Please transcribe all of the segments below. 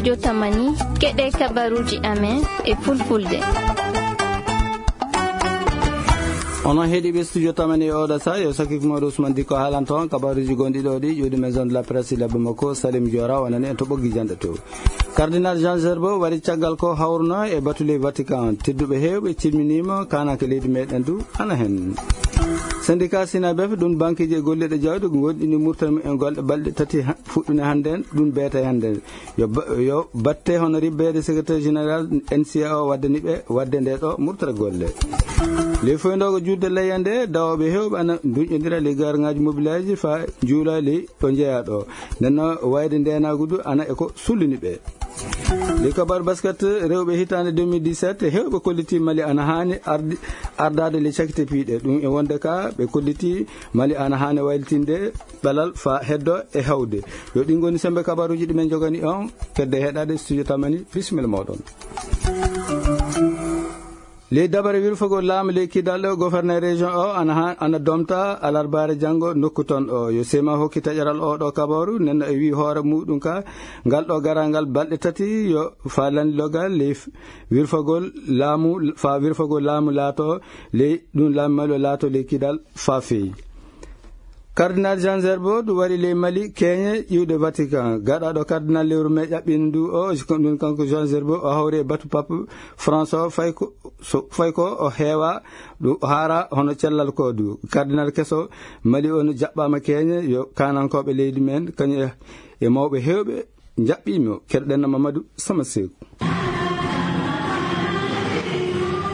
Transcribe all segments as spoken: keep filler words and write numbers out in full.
Studio Tamani, keɗee kabaruuji amen e fulfulde. Onon heɗiiɓe Studio Tamani e oɗo saa, yo sakiiko mooɗo Usman Dikko haalanta on kabaruuji gonɗi ɗo ɗi, ƴuwdi Maison de la Presse, labbo makko Salim Diora, wonani en to ɓoggi janɗe to. Cardinal Jean Gerbaud wari caggal ko hawruno e batu ley Vatican. Tedduɓe heewɓe cilminiima, kaananke leydi meɗen du ana hen. Syndicat Sinabef, ɗum bankeeji e golliiɗo jawdi, gonɗini murtani en golle balɗe tati ha-, fuɗɗune hannden, ɗum beetay hannden. Yo ba-, yo batte hono ribbeede secrétaire général N C A o waddani ɓe waɗde nde ɗo murtere golle. Ley foyndogo juulde layya nde, dawooɓe heewɓe ana nduñƴondira ley garaŋaaji mobilaaji faa njuula ley ɗo njeyaa ɗo. Nden no wayde ndeenaagu du ana e ko sullini ɓe. Ley kabaru basket rewɓe hitaande deux mille dix-sept, heewɓe kolliti Mali ana haani ardi-, ardaade ley cakite piiɗe. Ɗum e wonde ka ɓe kolliti Mali ana haani waylitinde ɓalal faa heddo e hawde. Yo ɗin ngoni sembe kabaruuji ɗi men njogani on. Kedde heɗaade Studio Tamani, bisimilla mooɗon. Ley dabare wirfagol laamu ley Kidal ɗo, gouverneur région o ana ha-, ana domta alarbaare janngo nokku ton o. Yo sema hokki taƴaral o ɗo kabaru, nden no e wii hoore muɗum ka, ngal ɗo garangal balɗe tati yo faa lanndiloogal ley f-, wirfagol laamu, faa wirfagol laamu laato ley ɗum laamu Mali o laato ley Kidal faa feewi. Cardinal Jean Gerbaud wari ley Mali, keeñe iwde Vatican. Gaɗaaɗo cardinal lewru mee ƴaɓɓiindu ndu o, ko ɗum kanko Jean Gerbaud o hawri e batu Pape François, fay ko, so, fay ko o heewa, ɗum o haara hono cellal ko du. Cardinal keso Mali on jaɓɓaama keeñe, yo kaanankooɓe leydi men, kañum e, e mawɓe heewɓe, njaɓɓiimo. Keɗoɗen no Mamadou Sama Seeku.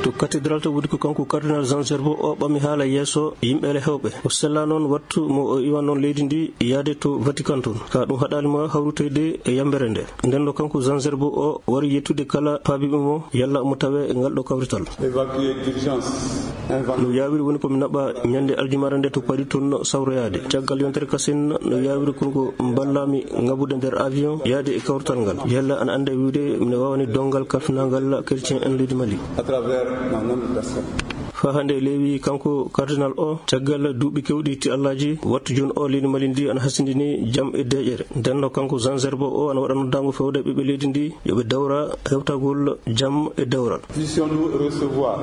To cathédrale to woni ko kanko cardinal Jean Gerbaud o ɓami haala yeeso yimɓe heewɓe. O sella noon wattu mo o iwa noon leydi ndi yaade to Vatican toon. Ka ɗum haɗaali mo hawrutoyde e yambere nde. Nden no kanko Jean Gerbaud o wari yettude kala paabiiɓe mo yalla mo tawe e ngal ɗo kawrital. Évacué d'urgence. No yaawiri woni ko mi naɓa ñande aljumaare nde to Paris toon sawroyaade. Caggal yontere kasen no yaawiri kon ko mballami ngabude nder avion yaade e kawrital ngal. Yalla ana annda wiide mino waawani donngal kalfinangal chrétien en leydi Mali. À travers ma noble personne. Faa hannde leewi kanko cardinal o, caggal duuɓi keewɗi ti Allaaji, wattu jooni o leydi Mali ndi ana hasindini jam e deeƴere. Nden no kanko Jean Gerbaud o ana waɗa noddaango fewde ɓiɓɓe leydi ndi, yo ɓe dawra hewtagol jam e dewral. Puissions-nous recevoir.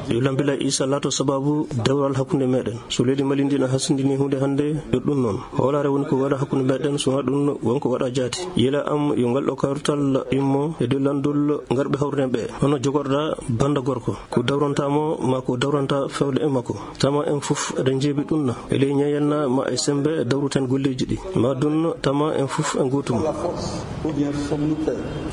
Yo Lambila Isa laato sababu dewral hakkunde meɗen. So leydi Mali ndi na hasindini huunde hannde, yo ɗum noon. Hoolaare woni ko waɗa hakkunde meɗen, so wanaa ɗum won ko waɗa jaati. Yila am yo ngal ɗo kawrital immo e dow lanndol ngarɓe hawruden ɓe. Hono jogorɗa bannda gorko. Ko dawranta mo, maa ko dawranta fewde e makko. Tama en fof eɗen njeebi ɗum na. E ley ñeeñal na, ma e semmbe dawruten golleeji ɗi. Ma ɗum tama en fof en gootum.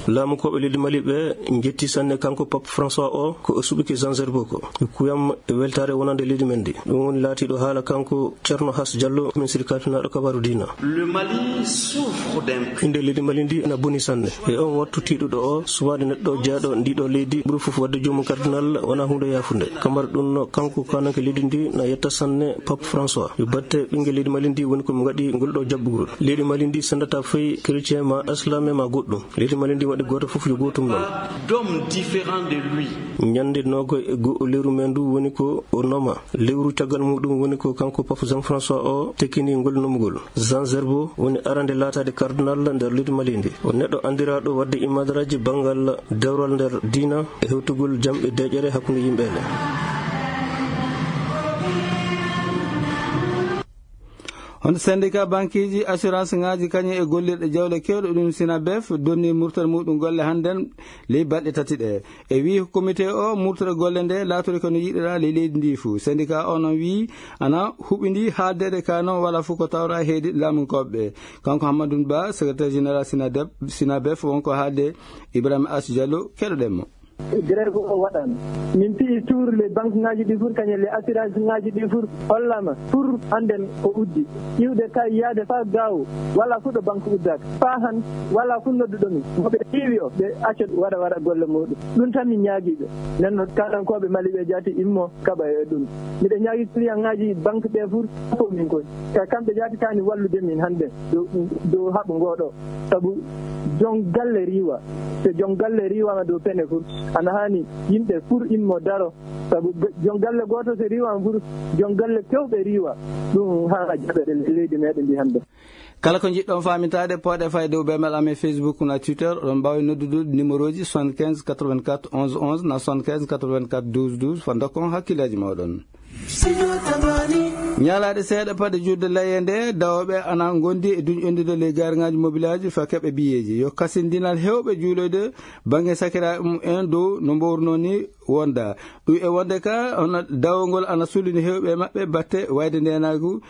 Laamukooɓe leydi Mali ɓe njetti sanne kanko Pape François o, ko o suɓike Jean Gerbaud ko. Kuyam e weltaare wonande leydi men ndi. Ɗum woni laatiiɗo haala kanko Ceerno Has Jallo, min sirkaatinaaɗo kabaaru diina. Le Mali souffre d'un... Innde leydi Mali ndi ena boni sanne. E on wattu tiiɗuɗo o, suwaade neɗɗo jeyaaɗo ndiɗo leydi, ɓuri fof waɗde joomum cardinal, wonaa huunde yaafunde. Kamar ɗum no kanko kaananke leydi ndi na yetta sanne Pape François. Yo batte ɓinngel leydi Mali ndi woni ko mi waɗi ngol ɗo jaɓɓugol. Leydi Mali ndi senndataa fay chrétien ma islam ma goɗɗum. Leydi Mali ndi waɗi gooto fof yo gootum noon. D'homme différent de lui. Ñande noogo e go'o lewru men ndu woni ko o noma. Lewru caggal muɗum woni ko kanko Pape Jean François o tekkini ngol nomugol. Jean Gerbaud woni arande laataade cardinal nder leydi Mali ndi. O neɗɗo anndiraaɗo waɗde imadaraaji banngal dewral nder diina e hewtugol jam e deeƴere hakkunde yimɓe ɓe. Hono syndicat bankeeji, assurance ŋaaji, kañum e gollirɗe jawle keewɗe ɗum Sinabef donnii murtere muɗum golle hannden ley balɗe tati ɗe. E wii komite o, murtere golle nde laatorii ko no yiɗiraa ley leydi ndi fuu. Syndicat o noon wii ana huɓindii haaldeede ka noon walaa fof ko tawraa heedi laamunkooɓe ɓe. Kanko Hammadou Ba, secrétaire général Sinadef, Sinabef, won ko haalde Ibrahima Ass Diallo, keɗoɗen mo. Grève o waɗaama. Min piyi tuuru ley banque ŋaaji ɗi fuu, kañum ley assurance ŋaaji ɗi fuu hollaama pour hannden ko uddi. Iwde kay yaade faa gaawo, walaa fuu ɗo banque uddaaka. Faa han, walaa fuu nodduɗo min. Mo ɓe iwi o, ɓe acca waɗa, waɗa golle muuɗum. Ɗum tan min ñaagii ɓe. Nden non kaanankooɓe Mali ɓe jaati immo kaɓa e ɗum. Miɗo ñaagii client ŋaaji banque ɓe fuu, ko min koy. Ka kamɓe jaati kaani wallude min hannde dow, dow haɓu ngoo ɗoo. Sabu jon galle riiwa. So jon galle riiwaama dow pene fuu, Ana haani yimɓe fur immo daro, sabu be-, jon galle gooto so riiwaama fur, jon galle keewɓe riiwa. Ɗum haa jaɓeɗe leydi meɗen ndi hannde. Kala ko njiɗɗon faamintaade, pooɗee fayde dow bemel amen Facebook na Twitter. Oɗon mbaawi noddude numéroji soixante-quinze quatre-vingt-quatre onze onze na soixante-quinze quatre-vingt-quatre douze douze. Fa ndokkon hakkillaaji mooɗon. Ñalaaɗe seeɗa paɗe juulde layya nde, dawooɓe ana ngondi e duñƴondirde ley gaariŋaaji mobilaaji faa keɓa biyeeji. Yo kasindinal heewɓe juuloyde bannge sakiraaɓe mum en dow no mboorunoo ni wonda. Ɗum e wonde ka, hono dawol ngol ana sullini heewɓe e maɓɓe batte wayde ndeenaagu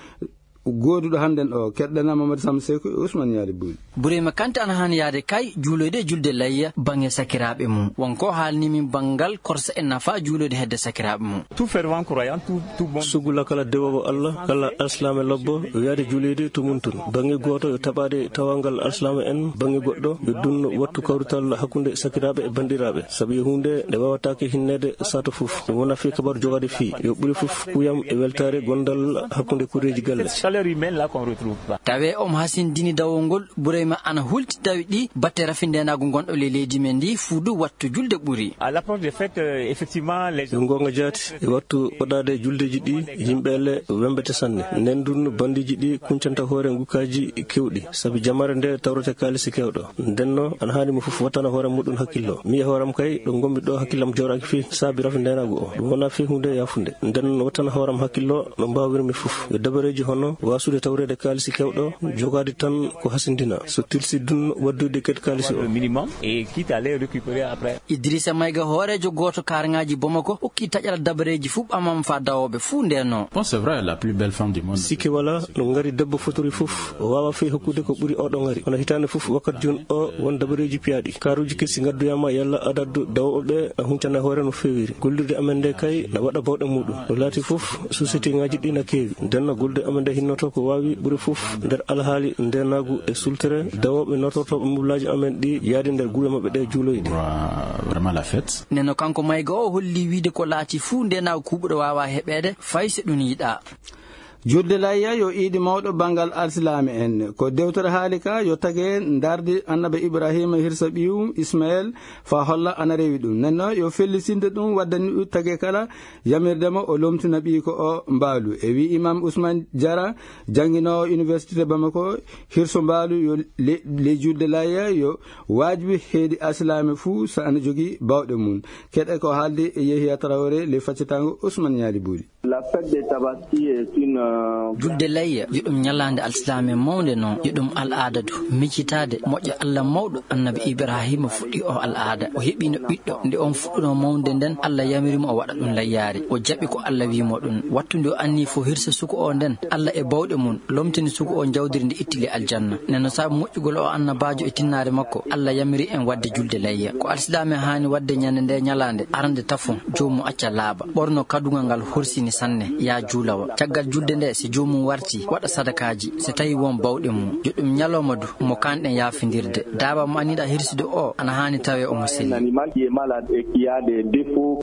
gooduɗo hannden o. Keɗɗen Mamadou Samba Seeku e Ousmane Ñaali Buy. Burayma Kante ana haani yahde kay juuloyde e julde layya bannge sakiraaɓe mum. Won ko haalni min banngal korsa e nafa juuloyde hedde sakiraaɓe mum. Tout fervent croyant, tout, tout bon. Sugula kala dewoowo Alla, kala alsilaame lobbo, yo yahde juuloyde to mum tun. Bannge gooto yo taɓaade tawaagal alsilaame en, bannge goɗɗo yo dun wattu kawrital hakkunde sakiraaɓe e banndiraaɓe. Sabu yo huunde nde waawataake hinneede sato fof. Ɗum wona fii kabaru jogaade fii. Yo ɓuri fof kuyam e weltaare gondal hakkunde kureeji galle. Cette chaleur humaine là qu'on retrouve pas. Tawee omo hasindini dawol ngol, Burayma ana hulti dawi ɗi batte rafindeenaagu ngonɗo ley leydi men ndi, fuu du wattu julde ɓuri. À l'approche des fêtes, euh, effectivement, les gens... Ɗum goonga jaati, e wattu waɗaade juldeeji ɗi, yimɓe le wembete sanne. Nden dun banndiiji ɗi kuncanta hoore ngukkaaji keewɗi, sabi jamaare nde tawrete kaalisi keewɗo. Ndenno, ana haani mo fof wattana hoore muɗum hakkillo. Mi e hooram kay, ɗo ngonmi ɗo hakkillam jooɗaaki fii saabi rafindeenaagu o. Ɗum wonaa fii huunde yaafunde. Nden wattana hooram hakkillo no mbaawirmi fof. Yo dabareeji hono waasude tawreede kaalisi keewɗo, jogaade tan ko hasindina. So tilsi dun waddude kadi kaalisi o. Le minimum et quitte à les récupérer après. Idrissa Maïga, hooreejo gooto kaaraŋaaji Bamako, okki taƴal dabareeji fuu ɓamam faa dawooɓe fuu ndeenoo. Bon, c'est vrai, la plus belle femme du monde. Sikke walaa, no ŋari debbo fotiri fof, o waawaa fey hokkude ko ɓuri oɗo ŋari. Kono hitaande fof, wakkati jooni o, won dabareeji piyaaɗi. Kaaruuji kesi ngaddoyaama yalla adadu dawooɓe ɓe a huncana hoore no feewiri. Gollirde amen nde kay na waɗa bawɗe muɗum. No laati fof, sosiyetiŋaaji ɗi na keewi. Ndenno gollude amen nde hinnoto ko waawi ɓuri fof nder alhaali ndeenaagu e sultere dawooɓe nootortooɓe mobilaaji amen ɗi yaade nder gure maɓɓe ɗe juuloyde. Vraiment la fête. Ndenno kanko Maïga o holli wiide ko laati fuu ndeenaagu kuuɓuɗo waawaa heɓeede fay so ɗum yiɗaa. Julde layya yo iidi mawɗo banngal alsilaame en. Ko dewtere haali ka yo tage ndardi Annabi Ibraahiima hirsa ɓiyum Ismael faa holla ana rewi ɗum. Ndenno yo fellisinde ɗum waddani ɗum tage kala yamirde mo o lomtina ɓiyko o mbaalu. E wii Imaam Usmaan Jara, jannginoowo Iniwersite Bamako, hirso mbaalu yo le-, ley julde layya yo waajibi heedi alsilaame fuu so ana jogii baawɗe mum. Keɗe ko haaldi e Yehiya Tarawre ley faccitaango Usmaan Ñaali Buuri. La fête de Tabaski est une, euh, julde layya, yo ɗum ñalaande alsilaame mawnde non, yo ɗum al'aada du. Miccitaade moƴƴa Alla mawɗo, Annabi Ibraahiima fuɗɗi o al'aada. O heɓino ɓiɗɗo, nde on fuɗɗunoo mawnde nden, Alla yamiri mo o waɗa ɗum layyaare. O jaɓi ko Alla wii mo ɗum. Wattu nde o annii fo hirsa suko o nden, Alla e bawɗe mum, lomtini suko o njawdiri ndi itti le aljanna. Nden no sabu moƴƴugol o annabaajo e tinnaare makko, Alla yamiri en waɗde julde layya. Ko alsilaame haani waɗde ñande nde ñalaande, arande tafo, joomum acca laaɓa. Ɓorno kadugal ngal horsini sanne, yaa juulawa. Caggal julde nde, si joomum warti, waɗa sadakaaji, si tawi won bawɗe mum. Yo ɗum ñalawma du, mo kaanɗen yaafindirde. Daaba mo anniɗaa hirsude o, ana haani tawee omo selli. Un animal qui est malade et qui a des défauts.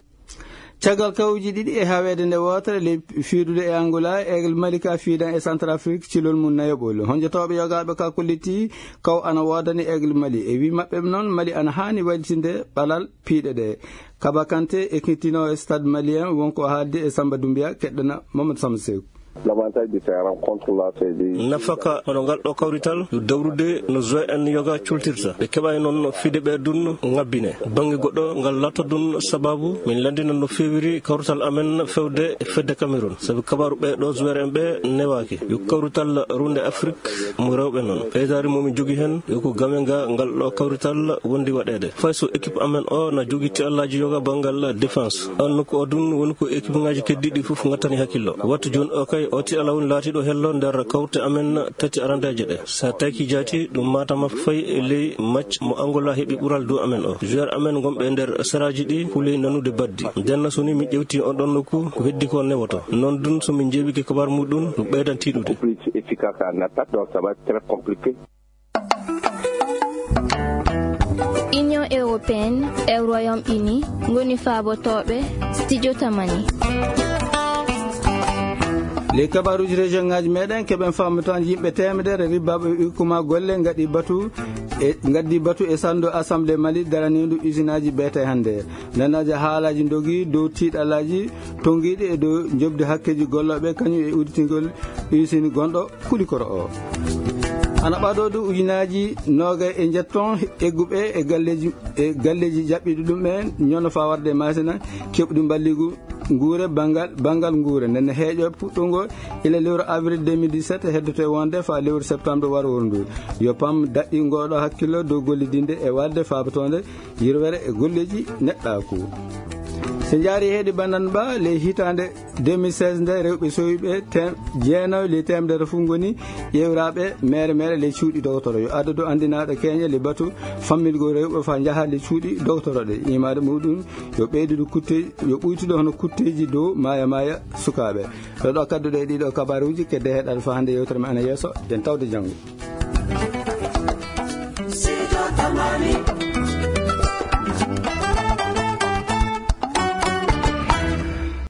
Caggal kawuuji ɗiɗi e haweede nde wootere ley fiidude e Angola, Aigle Mali ka fiidan e Centrafrique cilol mum nayaɓol. Honjotooɓe yogaaɓe ka kollitii kaw ana woodani Aigle Mali. E wii maɓɓe noon, Mali ana haani waylitinde ɓalal piiɗe ɗe. Kaba Kante, ekkitinoowo e Stade Malien, won ko haaldi e Samba Doumbia, keɗɗana Mamadou Samba Seeku. L'avantage de ces rencontres-là, c'est de... Nafaka hono ngal ɗo kawrital, yo dawrude no joueur en yoga cultirta. Ɓe keɓay noon no fide ɓe dun ŋabbine. Bannge goɗɗo ngal laata dun sababu, min lanndina no feewiri kawrital amen fewde e fedde Cameroun. Sabu kabaru ɓe ɗo joueur en ɓe newaaki. Yo kawrital runde Afrik mo rewɓe noon. Ɓeydaari mo min jogi hen, yo ko game ga ngal ɗo kawrital wondi waɗeede. Fay so équipe amen o na jogi tiɗallaaji yoga banngal défense. On nokku o dun woni ko équipe ngaaji keddiiɗi fof ngattani hakkillo. Wattu jooni o kay o tiɗalla woni laatiiɗo hello nder kawte amen tati arandeeje ɗe. Sa taykii jaati ɗum maatama fay e ley match mo Angola heɓi ɓural dow amen o. Joueur amen gonɓe nder seraaji ɗi kuley nanude baddi. Ndenno so ni min ƴewtii on ɗon nokku ko heddi ko newoto. Noon dun so min njeewike kabaar muɗum ɗum ɓeydan tiiɗude. Plus efficace en attaque, donc ça va être très compliqué. Union Européenne e Royaume-Uni ngoni faabotooɓe Studio Tamani. Ley kabaaruuji région ŋaaji meɗen, keɓen faamotooje yimɓe teemedere ribbaaɓe ɓe ɓikkuma golle ngaɗi batu e ngaddi batu e salndu Assemblée Mali daraniindu usinaaji beete hannde. Nanaaji haalaaji ndogi dow tiiɗalaaji tonngiiɗi e dow njoɓdi hakkeeji gollooɓe, kañum e udditingol usine gonɗo Kulikoro o. Ana ɓadoo dow ujunaaji noogay e njetton egguɓe e galleeji, e galleeji jaɓɓiiɗi ɗum en ñono faa warde e Maasina keɓɗi mballigu nguure banngal, banngal nguure. Nden heeƴo puɗɗungo ila lewru avril deux mille dix-sept, heddoto e wonde faa lewru septembre warooru ndu. Yo pam daɗɗi ngooɗo hakkillo dow gollidinde e waɗde faabotoonde yirwere e golleeji neɗɗaaku. So njaari heedi bandan ba, ley hitaande deux mille seize nde, rewɓe sowiiɓe tem-, jeenaw ley teemedere fof ngoni ƴeewraaɓe meere meere ley cuuɗi dogotoro. Yo adadu anndinaaɗo keeñe ley batu fammilgol rewɓe faa njaha ley cuuɗi dogotoroɗe. Imaade muɗum yo ɓeydude kutte-, yo ɓuytude hono kutteeji dow maaya maaya sukaaɓe. Ɗo ɗo kadduɗe e ɗiɗo kabaaruuji, kedde heɗaade faa hannde yewtere men ana yeeso, ɗen tawde janngo.